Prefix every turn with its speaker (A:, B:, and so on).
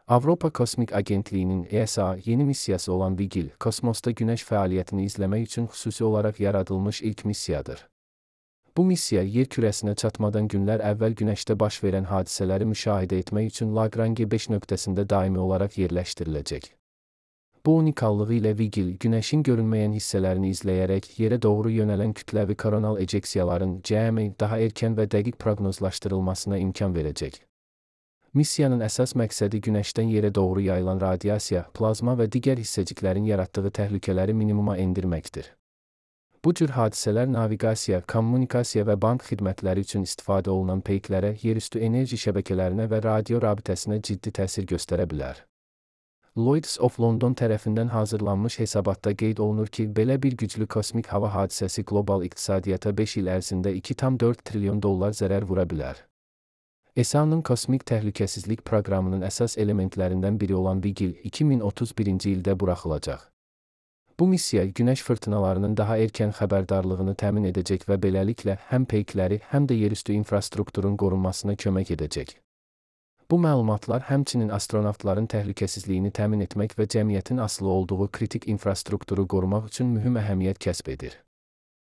A: Avropa Kosmik Agentliyinin ESA yeni missiyası olan Vigil, kosmosda Günəş fəaliyyətini izləmək üçün xüsusi olaraq yaradılmış ilk missiyadır. Bu missiya yer kürəsinə çatmadan günlər əvvəl Günəşdə baş verən hadisələri müşahidə etmək üçün Lagrange 5 nöqtəsində daimi olaraq yerləşdiriləcək. Bu unikallığı ilə Vigil, Günəşin görünməyən hissələrini izləyərək yerə doğru yönələn kütləvi koronal ejeksiyaların CME daha erkən və dəqiq proqnozlaşdırılmasına imkan verəcək. Missiyanın əsas məqsədi Günəşdən yerə doğru yayılan radiasiya, plazma və digər hissəciklərin yaratdığı təhlükələri minimuma endirməkdir. Bu cür hadisələr naviqasiya, kommunikasiya və bank xidmətləri üçün istifadə olunan peyklərə, yerüstü enerji şəbəkələrinə və radio rabitəsinə ciddi təsir göstərə bilər. Lloyd's of London tərəfindən hazırlanmış hesabatda qeyd olunur ki, belə bir güclü kosmik hava hadisəsi qlobal iqtisadiyyata 5 il ərzində $2,4 trilyon zərər vura bilər. ESA-nın kosmik təhlükəsizlik proqramının əsas elementlərindən biri olan Vigil, 2031-ci ildə buraxılacaq. Bu missiya Günəş fırtınalarının daha erkən xəbərdarlığını təmin edəcək və beləliklə həm peykləri, həm də yerüstü infrastrukturun qorunmasına kömək edəcək. Bu məlumatlar həmçinin astronavtların təhlükəsizliyini təmin etmək və cəmiyyətin asılı olduğu kritik infrastrukturu qorumaq üçün mühüm əhəmiyyət kəsb edir.